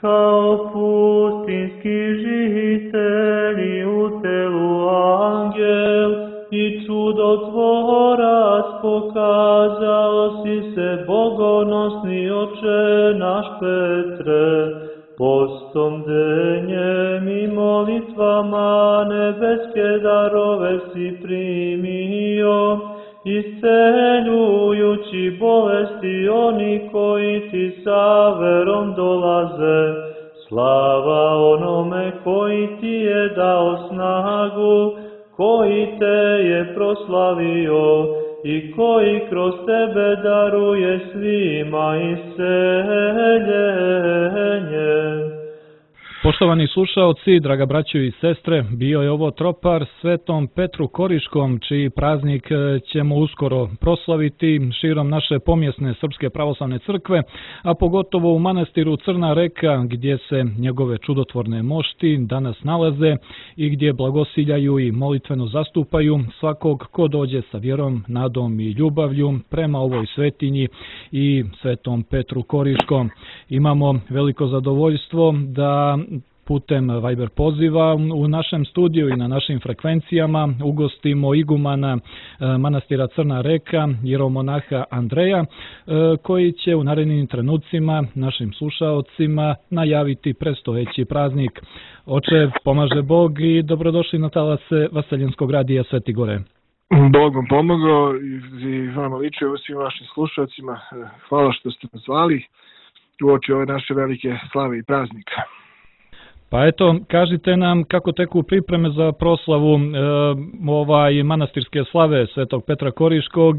Kao pustinski žitelji u telu angel i čudotvorac pokazao si se bogonosni oče naš Petre, postom denjem i molitvama nebeske darove si primio, isceljujući bolesti oni koji ti sa verom dolaze. Slava onome koji ti je dao snagu, koji te je proslavio i koji kroz tebe daruje svima isceljenje. Poštovani slušaoci, draga braćo i sestre, bio je ovo tropar Svetom Petru Koriškom, čiji praznik ćemo uskoro proslaviti širom naše pomjesne Srpske pravoslavne crkve, a pogotovo u manastiru Crna Reka, gdje se njegove čudotvorne mošti danas nalaze i gdje blagosiljaju i molitveno zastupaju svakog ko dođe sa vjerom, nadom i ljubavlju prema ovoj svetinji i Svetom Petru Koriškom. Imamo veliko zadovoljstvo da putem Viber poziva u našem studiju i na našim frekvencijama ugostimo igumana manastira Crna Reka, jeromonaha Andreja, koji će u narednim trenucima našim slušaocima najaviti predstojeći praznik. Oče, pomaže Bog i dobrodošli na talase Vaseljenskog radija Sveti Gore. Bog vam pomogao i vama ličio svim vašim slušalcima. Hvala što ste nas zvali uoči ove naše velike slave i praznika. Pa eto, kažite nam kako teku pripreme za proslavu manastirske slave Svetog Petra Koriškog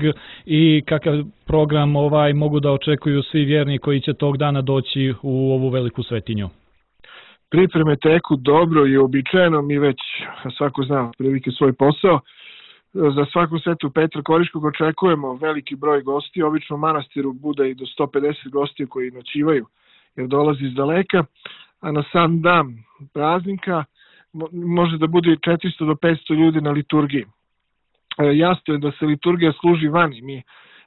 i kakav program mogu da očekuju svi vjerni koji će tog dana doći u ovu veliku svetinju. Pripreme teku dobro i uobičajeno, mi već svako zna prilike svoj posao. Za svaku Svetu Petra Koriškog očekujemo veliki broj gosti, obično u manastiru bude i do 150 gostiju koji noćivaju jer dolazi iz daleka, a na sam dan praznika može da bude 400 do 500 ljudi na liturgiji. Jasno je da se liturgija služi vani, mi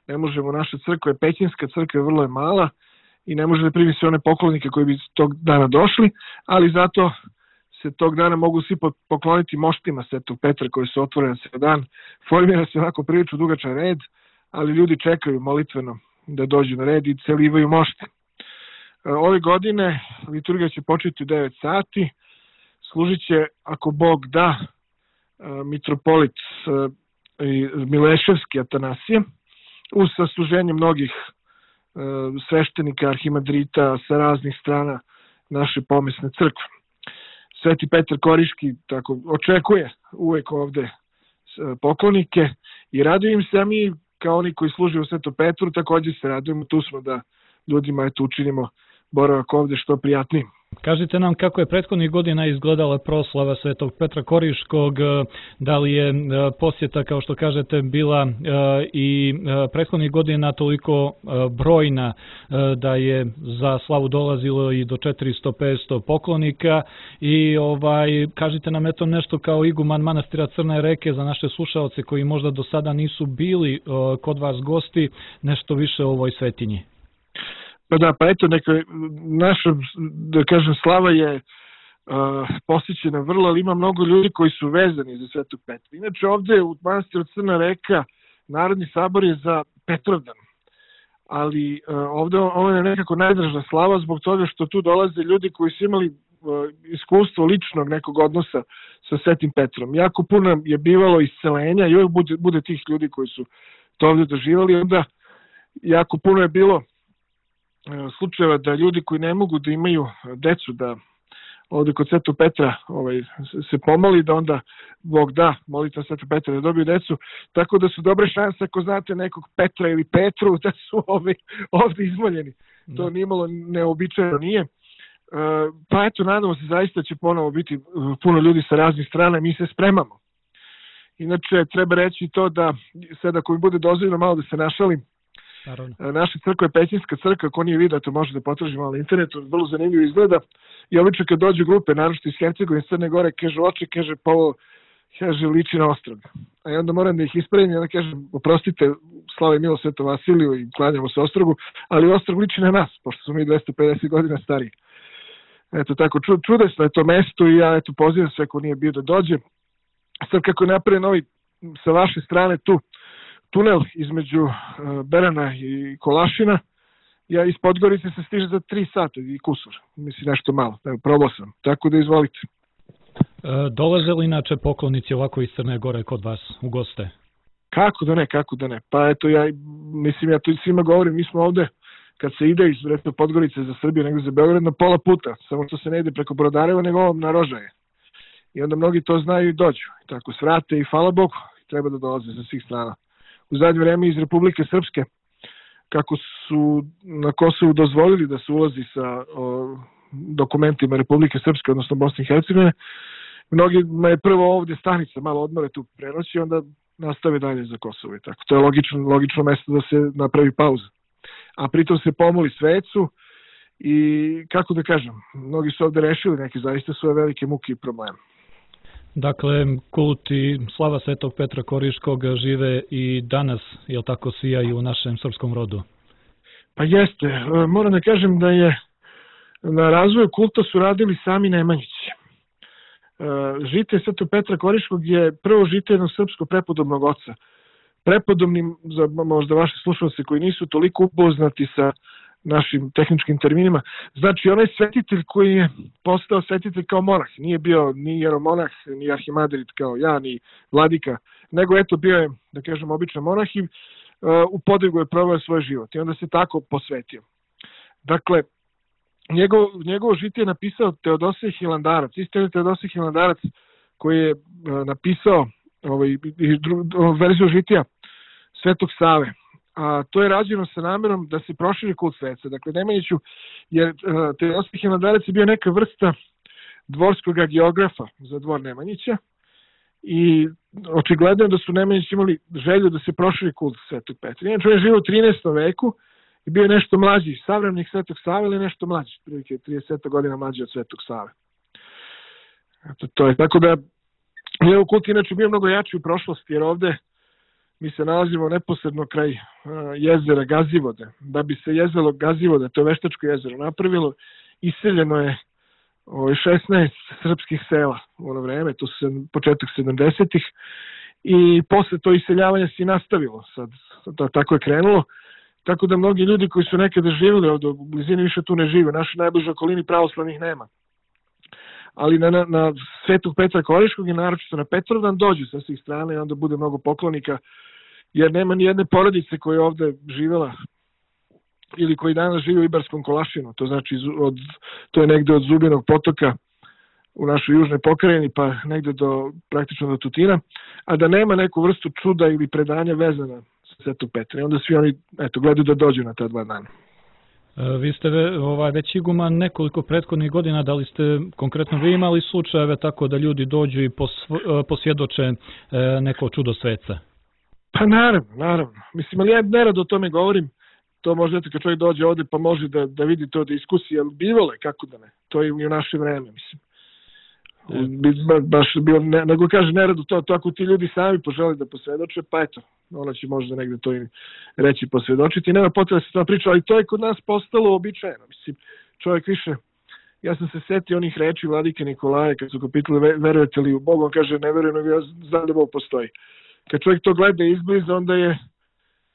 ne možemo, naša crkva je pećinska, crkva vrlo je mala i ne može da primi sve one poklonike koji bi tog dana došli, ali zato se tog dana mogu svi pokloniti moštima Svetog Petra koji su otvoreni sve dan. Formira se onako prilično dugačan red, ali ljudi čekaju molitveno da dođu na red i celivaju mošte. Ove godine liturgija će početi u 9 sati, služit će, ako Bog da, mitropolit Mileševski Atanasije, uz sasluženje mnogih sveštenika, arhimadrita sa raznih strana naše pomesne crkve. Sveti Petar Koriški tako očekuje uvek ovde poklonike i radujem se, a mi kao oni koji služe u Svetom Petru također se radujemo, tu smo da ljudima učinimo boravak ovde što prijatniji. Kažite nam kako je prethodnih godina izgledala proslava Svetog Petra Koriškog, da li je posjeta, kao što kažete, bila i prethodnih godina toliko brojna da je za slavu dolazilo i do 400-500 poklonika i kažite nam eto nešto kao iguman manastira Crne Reke za naše slušaoce koji možda do sada nisu bili kod vas gosti, nešto više o ovoj svetinji. Pa eto, naša, da kažem, slava je posjećena vrlo, ali ima mnogo ljudi koji su vezani za Svetog Petra. Inače, ovde u manastiru Crna Reka Narodni sabor je za Petrovdan, ali ovde ovo je nekako najdraža slava zbog toga što tu dolaze ljudi koji su imali iskustvo ličnog nekog odnosa sa Svetim Petrom. Jako puno je bivalo iscelenja i uvijek bude tih ljudi koji su to ovde doživali, onda jako puno je bilo slučajeva da ljudi koji ne mogu da imaju decu, da ovde kod Svetog Petra se pomoli, da onda Bog da molitva Svetog Petra da dobiju decu, tako da su dobre šanse ako znate nekog Petra ili Petru da su ovde izmoljeni. To nimalo neobičajno nije. Pa eto, nadamo se zaista će ponovo biti puno ljudi sa raznih strana, mi se spremamo. Inače, treba reći to da sad ako mi bude dozvoljeno malo da se našalim, naša crkva je pećinska crkva, ako nije vidio, to može da potraži malo na internetu, vrlo zanimljivo izgleda. I obično kad dođu grupe, naročito iz Hercegovine, iz Crne Gore, kaže oče, kaže pa ovo, kaže liči na Ostrog. A onda moram da ih ispravim i onda kažem, oprostite, slava i milo Svetom Vasiliju i klanjamo se Ostrogu, ali Ostrog liči na nas, pošto smo mi 250 godina stariji. Eto tako, čudesno je to mesto i ja eto pozivam sve ko nije bio da dođe. Sad kako je napravljen ovaj sa vaše strane tu tunel između Berana i Kolašina, ja iz Podgorice se stiže za 3 sata i kusur, mislim nešto malo, probao sam, tako da izvolite. Dolaze li inače poklonici ovako iz Crne Gore kod vas u goste? Kako da ne, pa eto ja to svima govorim, mi smo ovde kad se ide iz Podgorice za Srbiju nego za Beograd na pola puta, samo što se ne ide preko Brodareva nego na Rožaje. I onda mnogi to znaju i dođu. I tako svrate i hvala Bogu, treba da dolaze sa svih strana. U zadnje vreme iz Republike Srpske, kako su na Kosovu dozvolili da se ulazi sa dokumentima Republike Srpske, odnosno Bosne i Hercegovine, mnogima je prvo ovdje stanica, malo odmore tu prenoći, onda nastave dalje za Kosovo i tako. To je logično mesto da se napravi pauza. A pritom se pomoli svecu i, kako da kažem, mnogi su ovdje rešili neke zaista svoje velike muke i probleme. Dakle, kult i slava Svetog Petra Koriškog žive i danas, jel tako, sijaju u našem srpskom rodu? Pa jeste. Moram da kažem da je na razvoju kulta su radili sami Nemanjići. Žitelj Svetog Petra Koriškog je prvo žitelj jednog srpskog prepodobnog oca. Prepodobnim, za možda vaše slušalce koji nisu toliko upoznati sa našim tehničkim terminima, znači onaj svetitelj koji je postao svetitelj kao monah, nije bio ni jeromonah, ni arhimadrit kao ja, ni vladika, nego eto bio je, da kažem, običan monah i u Podrigu je proveo svoj život i onda se tako posvetio. Dakle, njegovo žitije je napisao Teodosije Hilandarac, isto Teodosije Hilandarac koji je napisao verziju žitija Svetog Save. A to je rađeno sa namerom da se proširi kult sveca. Dakle, Nemanjiću, jer Teodosije Hilandarac je bio neka vrsta dvorskog geografa za dvor Nemanjića i očigledno je da su Nemanjići imali želju da se proširi kult Svetog Petra. Inače, on je živio u 13. veku i bio je nešto mlađi savremenik Svetog Save ili nešto mlađi, prilike 30 godina mlađi od Svetog Save. To je tako da njegov kult inače bio mnogo jači u prošlosti, jer ovde mi se nalazimo neposredno kraj jezera Gazivode. Da bi se jezero Gazivode, to je veštačko jezero, napravilo, iseljeno je 16 srpskih sela u ono vreme, to su početak 70-ih, i posle to iseljavanje se nastavilo, sad tako je krenulo, tako da mnogi ljudi koji su nekada živjeli ovdje u blizini više tu ne žive, u našoj najbližoj okolini pravoslavnih nema. Ali na Svetog Petra Koriškog i naročito na Petrovdan dođu sa svih strana i onda bude mnogo poklonika, jer nema ni jedne porodice koja je ovde živjela ili koji danas živi u Ibarskom Kolašinu, to znači to je negde od Zubinog potoka u našoj južnoj pokrajini pa negde praktično do Tutina, a da nema neku vrstu čuda ili predanja vezana sa Svetog Petra. I onda svi oni gledaju da dođu na ta 2 dana. Vi ste već iguman nekoliko prethodnih godina, da li ste konkretno vi imali slučajeve tako da ljudi dođu i posvjedoče neko čudo sveca? Pa naravno. Mislim, ali ja nerado o tome govorim. To možda kad čovjek dođe ovde pa može da vidi to, da iskusi, ali bivalo je, kako da ne. To je i u naše vreme, mislim. Baš bilo, nego kaže nerado to ako ti ljudi sami požele da posvjedoče, pa eto, ona će možda negde to i reći posvjedočiti. Nema potrebe da se to priča, ali to je kod nas postalo običajeno. Mislim, čovjek više, ja sam se setio onih reči vladike Nikolaja kad su ga pitali verujete li u Boga, on kaže ne verujem, nego ja znam da Bog postoji. Kad čovjek to gleda izbliza, onda je,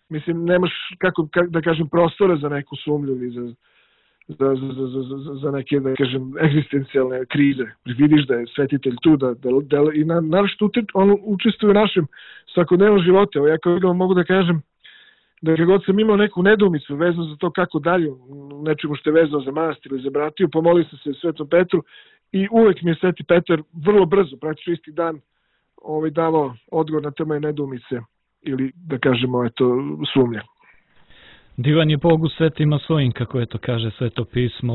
mislim, nemaš, kako da kažem, prostora za neku sumlju ili za neke, da kažem, egzistencijalne krize. Vidiš da je svetitelj tu, i naravno on učestvuje u našem svakodnevnom životu. Evo, ja kao vidim mogu da kažem da kad god sam imao neku nedoumicu vezano za to kako dalje, nečemu što je vezano za manastir ili za bratiju, pomolio sam se Svetom Petru i uvek mi je Sveti Petar vrlo brzo, praktično isti dan, davao odgovor na te moje nedoumice ili, da kažemo, sumnje. Divan je Bog u svetima svojim, kako je to kaže Sveto pismo.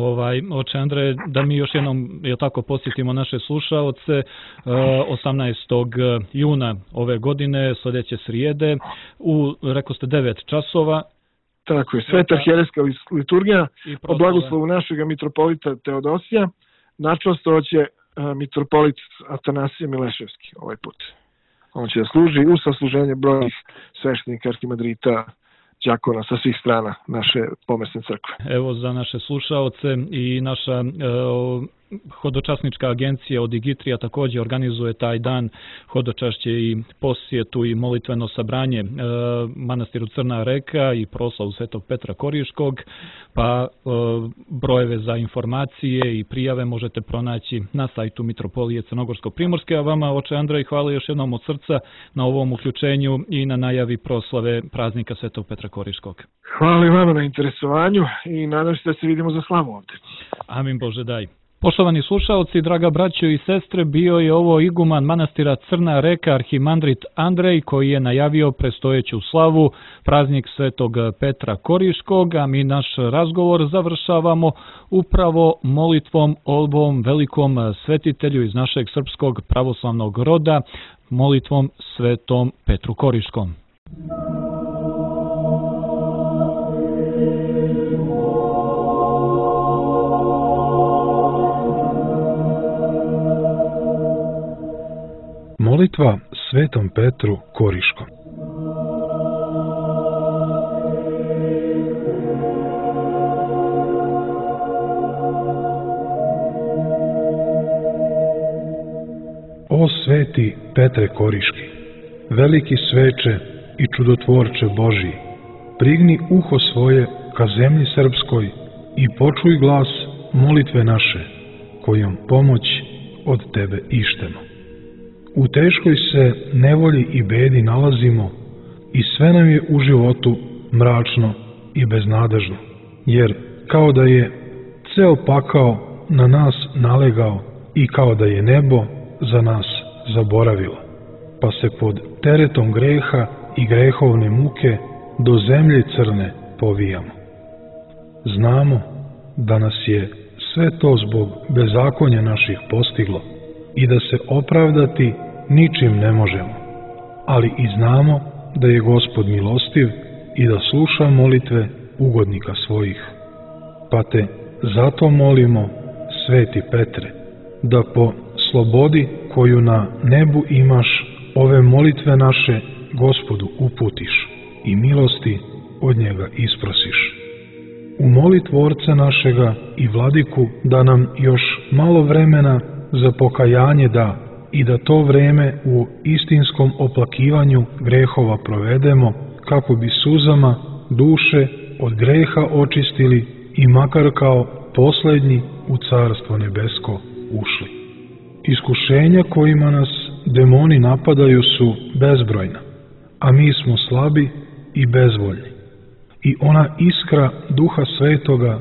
Oče Andreje, da mi još jednom posjetimo naše slušaoce, 18. juna ove godine, sljedeće srijede, rekao ste 9 časova. Tako je, Sveta herejska liturgija, o blagoslovu našeg mitropolita Teodosija, načastvovat mitropolit Atanasije Mileševski ovaj put. On će da služi u sasluženje brojnih sveštenika, arhimadrita, đakona sa svih strana naše pomesne crkve. Evo za naše slušaoce i naša Hodočasnička agencija od Digitrija također organizuje taj dan hodočašće i posjetu i molitveno sabranje manastiru Crna Reka i proslavu Svetog Petra Koriškog, pa brojeve za informacije i prijave možete pronaći na sajtu Mitropolije Crnogorsko-Primorske, a vama, oče Andrej, hvala još jednom od srca na ovom uključenju i na najavi proslave praznika Svetog Petra Koriškog. Hvala i vama na interesovanju i nadam se da se vidimo za slavu ovdje. Amin Bože daj. Poštovani slušaoci, draga braćo i sestre, bio je ovo iguman manastira Crna Reka, arhimandrit Andrej, koji je najavio predstojeću slavu, praznik Svetog Petra Koriškog, a mi naš razgovor završavamo upravo molitvom ovom velikom svetitelju iz našeg srpskog pravoslavnog roda, molitvom Svetom Petru Koriškom. Molitva Svetom Petru Koriškom. O sveti Petre Koriški, veliki sveče i čudotvorče Božiji, prigni uho svoje ka zemlji srpskoj i počuj glas molitve naše, kojom pomoć od tebe ištemo. U teškoj se nevolji i bedi nalazimo i sve nam je u životu mračno i beznadežno, jer kao da je ceo pakao na nas nalegao i kao da je nebo za nas zaboravilo, pa se pod teretom greha i grehovne muke do zemlje crne povijamo. Znamo da nas je sve to zbog bezakonja naših postiglo i da se opravdati ničim ne možemo, ali i znamo da je Gospod milostiv i da sluša molitve ugodnika svojih. Pa te zato molimo, sveti Petre, da po slobodi koju na nebu imaš, ove molitve naše Gospodu uputiš i milosti od njega isprosiš. Umoli Tvorca našega i Vladiku da nam još malo vremena za pokajanje da i da to vreme u istinskom oplakivanju grehova provedemo, kako bi suzama duše od greha očistili i makar kao posljednji u Carstvo nebesko ušli. Iskušenja kojima nas demoni napadaju su bezbrojna, a mi smo slabi i bezvoljni. I ona iskra Duha Svetoga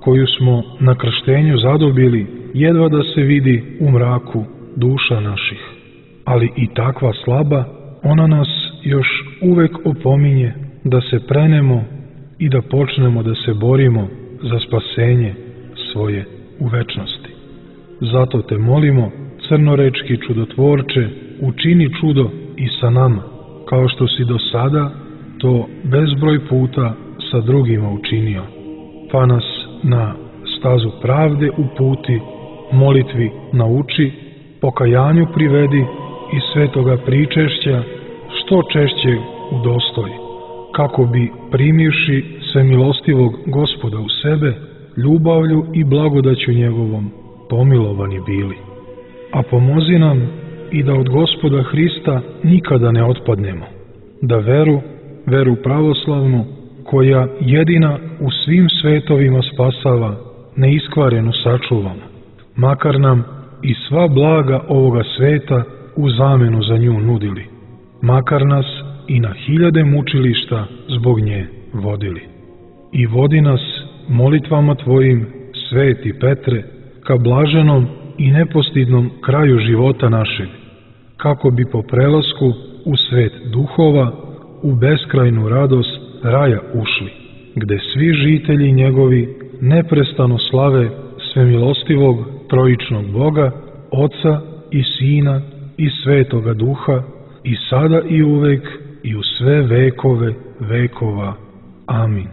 koju smo na krštenju zadobili jedva da se vidi u mraku duša naših, ali i takva slaba, ona nas još uvek opominje da se prenemo i da počnemo da se borimo za spasenje svoje u večnosti. Zato te molimo, crnorečki čudotvorče, učini čudo i sa nama, kao što si do sada to bezbroj puta sa drugima učinio, pa nas na stazu pravde uputi, molitvi nauči, pokajanju privedi i svetoga pričešća što češće udostoji, kako bi primivši svemilostivog Gospoda u sebe, ljubavlju i blagodaću njegovom pomilovani bili. A pomozi nam i da od Gospoda Hrista nikada ne otpadnemo, da veru pravoslavnu, koja jedina u svim svetovima spasava, neiskvarenu sačuvamo, makar nam i sva blaga ovoga sveta u zamenu za nju nudili, makar nas i na 1000 mučilišta zbog nje vodili. I vodi nas molitvama Tvojim, sveti Petre, ka blaženom i nepostidnom kraju života našeg, kako bi po prelasku u svet duhova, u beskrajnu radost raja ušli, gde svi žitelji njegovi neprestano slave svemilostivog trojičnog Boga, Oca i Sina i Svetoga Duha, i sada i uvek i u sve vekove vekova. Amin.